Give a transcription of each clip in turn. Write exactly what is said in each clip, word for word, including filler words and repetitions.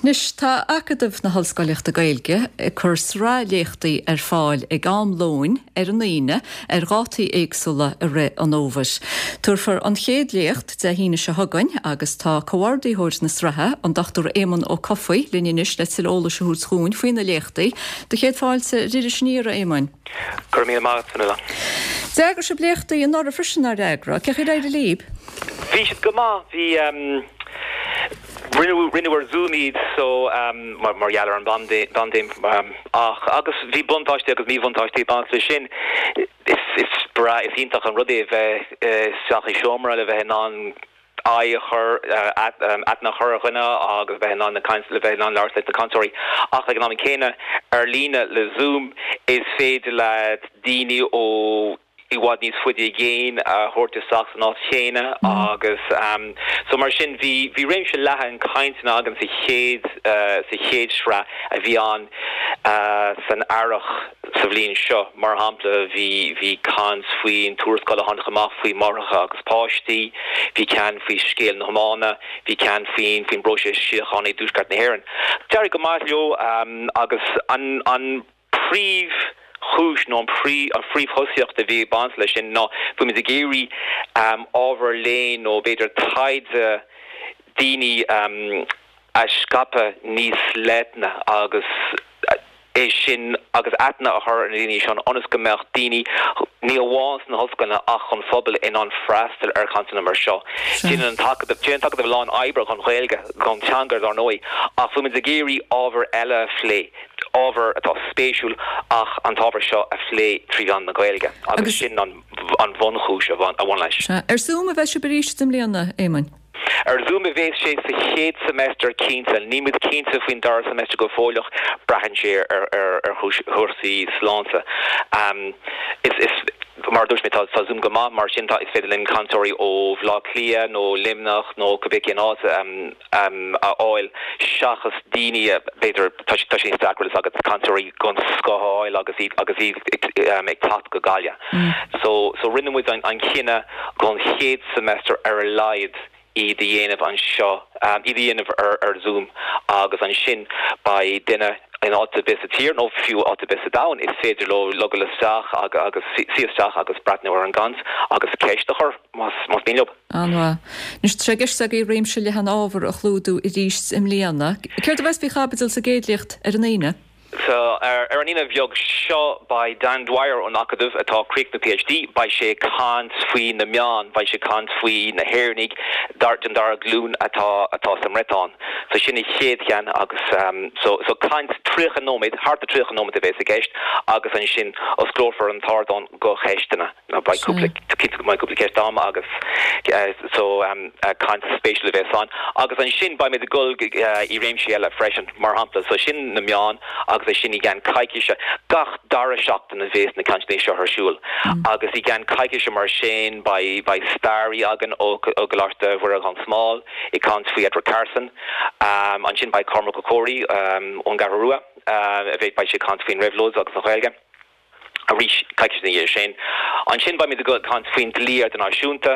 Anois tá Acadamh na hOllscolaíochta Gaeilge ag cur sraith léachtaí ar fáil ag am lóin ar an Aoine ar dhátaí éagsúla i rith an fhómhair. Tabharfar an chéad léacht Dé hAoine seo chugainn agus tá comhordaitheoir na sraithe an Dr Éamonn Ó Cofaigh linn anois le tuilleadh eolais a thabhairt dúinn faoi na léachtaí. Do chéad fáilte ar Iris Aniar a Éamoinn. Go raibh míle maith agat. D'eagraigh sibh léachtaí anuraidh freisin ar eagra, cén chaoi ar éirigh libh? Bhí siad go maith bhí um, rinneadh rinneadh ar Zoom iad so um, mar, mar gheall ar an bpaindéim um, ach agus bhí buntáistí agus míbhuntáistí ag baint leis sin is is breá is iontach an rud é bheith isteach i seomra le bheith in ann aghaidh a chur aithne a chur ar dhuine agus bheith in ann na caint le bheith in ann labhairt leis na cainteoirí ach ag an am céanna ar líne le Zoom is féidir le daoine ó i bhfad níos faide i gcéin a thabhairt isteach san áit chéanna agus um, so mar sin bhí bhí réimse leathan cainteanna againn sa chéad uh, sa chéad sraith a bhí ann uh, san earrach sa bhliain seo mar shampla bhí bhí caint faoin tuarascáil a tháinig amach faoi máithreacha agus páistí, bhí ceann faoi scéal na hiomána, bhí ceann faoin faoin bpróiseas síochána i dTuaisceart na hÉireann. D'éirigh go maith leo um, agus an an príomhchúis nó an phrí an phríomhthosaíocht a bhí ag baint leis sin ná bhí muid ag iarraidh um, ábhar léinn nó b'fhéidir taighde daoine um, a scaipeadh níos leithne agus é sin agus aithne a chur ar na daoine sin ionas go mbeadh daoine ní amháin sna hollscoileanna ach an phobal in ann freastal ar chainteanna mar seo. Déanann an tAcadamh déanann an tAcadamh a lán oibre don Ghaeilge don teanga dar ndóigh ach bhí muid ag iarraidh ábhar eile a phlé ábhar atá spéisiúil ach an t-ábhar seo a phlé trí mheán na Gaeilge agus sin an an bhunchúis a bhain a bhain leis. Ar Zoom a bheidh sibh arís i mbliana Éamoinn. Ar Zoom a bheas sé sa chéad semester cinnte, níl muid cinnte faoin dara semester go fóill braitheann sé ar ar ar chúrsaí sláinte. Um, is is mar dúirt mé tá tá Zoom go maith mar sin tá is féidir linn cainteoirí ó Bhaile Átha Cliath nó Luimneach nó cibé cén áit um, um, a fháil seachas daoine b'fhéidir tá tá sé deacair agus cainteoirí den scoth a fháil agus iad agus iad um, ag teacht go Gaillimh. Mm. So so rinne muid an, an cinneadh don chéad semester ar a laghad iad a dhéanamh anseo um, iad a dhéanamh ar, ar Zoom agus ansin beidh duine in áit ar bith sa tír nó fiú áit ar bith sa domhan is féidir leo logáil isteach agus, agus suí isteach agus breathnú ar an gcaint agus ceist a chur más más mian leo. An-mhaith. Anois tá sé i gceist agaibh réimse leathan ábhar a chlúdú arís i mbliana. Céard a bheas faoi chaibidil sa gcéad léacht ar an Aoine? So ar, ar an Aoine bheag seo beidh Dan Dwyer ón Acadamh atá ag críochnú PhD, beidh sé ag caint faoi na meáin, beidh sé ag caint faoi na hÉireannaigh dar den dara glúin atá atá sa mBriotáin. So sin an chéad cheann agus um, so, so caint tríocha nóiméad thart ar tríocha nóiméad a bheas i gceist agus ansin osclófar an t-ardán do cheisteanna. Beidh cúpla cúpla ceist agam agus uh, so um, uh, caint spéisiúil a bheas ann. Agus ansin beidh muid ag dul uh, i réimsí eile freisin mar shampla, so sin na meáin agus é sin i gceann coicíse gach dara seachtain a bheas na cainteanna seo ar siúl. Mm. agus i gceann coicíse mar sin beidh beidh staraí againn ó Choláiste Mhuire gan Smál ag caint faoi Edward Carson, um, ansin beidh Cormac Ó Comhraí um, ón gCeathrú Rua uh, a bheidh beidh sé ag caint faoin réabhlóid agus an Ghaeilge. Arís coicís ina dhiaidh sin. Ansin beidh muid ag caint faoin dlí idirnáisiúnta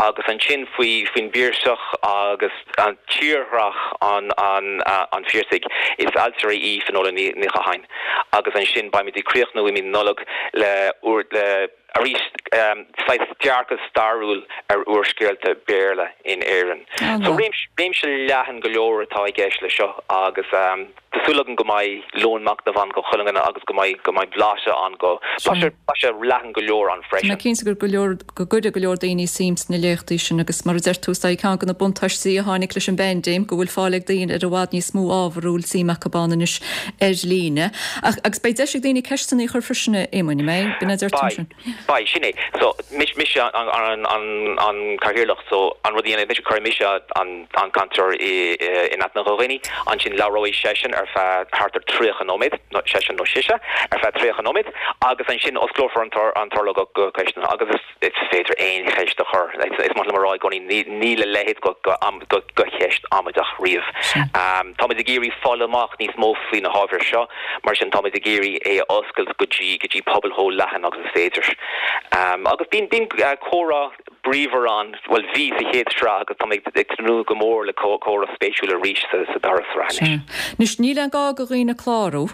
agus ansin faoi faoin bPiarsach agus an tírdhreach an an uh, an Phiarsaigh is ailtire í Finola Ní Ní Chatháin. Agus ansin beidh muid ag críochnú i mí Nollag le úr le arís um, saghas dearcadh stairiúil ar úrscéalta Béarla in Éirinn. So réimse réimse leathan go leor atá i gceist le seo agus um, Tá súil agam go mbeidh lón machnaimh ann do chuile dhuine agus go mbeidh go mbeidh blaiseadh ann go blaiseadh leathan go leor ann freisin. Tá cinnte gur go leor go gcuirfidh go leor daoine suim sna léachtaí sin agus mar a deir tú sé ceann de na buntáistí a tháinig leis an bpaindéim go bhfuil fáil ag daoine ar i bhfad níos mó ábhar a bhfuil suim acu ann anois ar líne. Ach agus beidh deis ag daoine ceisteanna a chur freisin Éamoinn mé b'in a deir tú sin. Beidh sin é so mis mis an an an an cathaoirleach so an rud mis chuir mise an an cainteoir in aithne do dhaoine ansin labhróidh seisean ar feadh thart ar tríocha nóiméad nó seisean nó sise ar feadh tríocha nóiméad agus ansin osclófar an an t-urlár do cheisteanna agus is is féidir aon cheist a chur is maith liom a rá i gcónaí níl a leithéid de de cheist amaideach riamh. Um, Táimid ag iarraidh fáil amach níos mó faoi na hábhair seo, mar sin táimid ag iarraidh é a oscailt go dtí go dtí pobal chomh leathan agus is féidir. Um, agus bíonn bíonn uh, comhrá bríomhar ann, bhuel bhí sa chéad sraith agus tá mé ag tnúth go mór le comhrá spéisiúil arís sa, sa dara sraith anois. Anois níl aon gá do dhaoine clárú?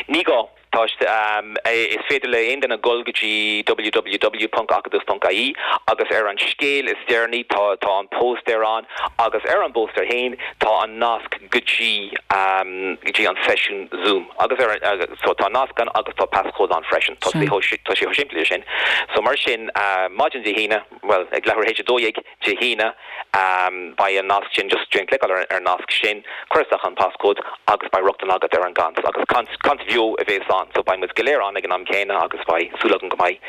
Ní gá. Tá um, is féidir le aon duine dul go dtí www.acadamh.ie agus ar an scéal is deireanaí tá tá an póstaer ann agus ar an bpóstaer féin tá an nasc go dtí um, go dtí an seisiún Zoom agus ar uh, so tá nasc ann agus tá passcode ann freisin tá sé tá sé simplí sin. So mar sin uh, maidin Dé hAoine well ag leathuair théis a dó dhéag Dé hAoine um, beidh an nasc sin just déan cliceáil ar, ar nasc sin cuir isteach an passcode agus beidh rochtain agat ar an gcaint agus caint bheo a bheas ann so beidh muid go léir ann ag an am céanna agus beidh súil agam go mbeidh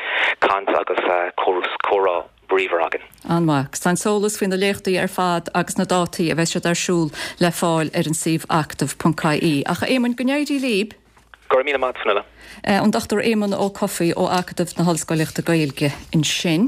caint agus uh, comhrá bríomhar againn. An-mhaith, tá an t-eolas faoi na léachtaí ar fad agus na dátaí a bheidh siad ar siúl le fáil ar an suíomh acadamh.ie. Ach Éamonn go n-éirí libh? Go raibh míle maith Fionnuala. An Dr Éamonn Ó Cofaigh ó Acadamh na hOllscoilíochta Gaeilge ansin.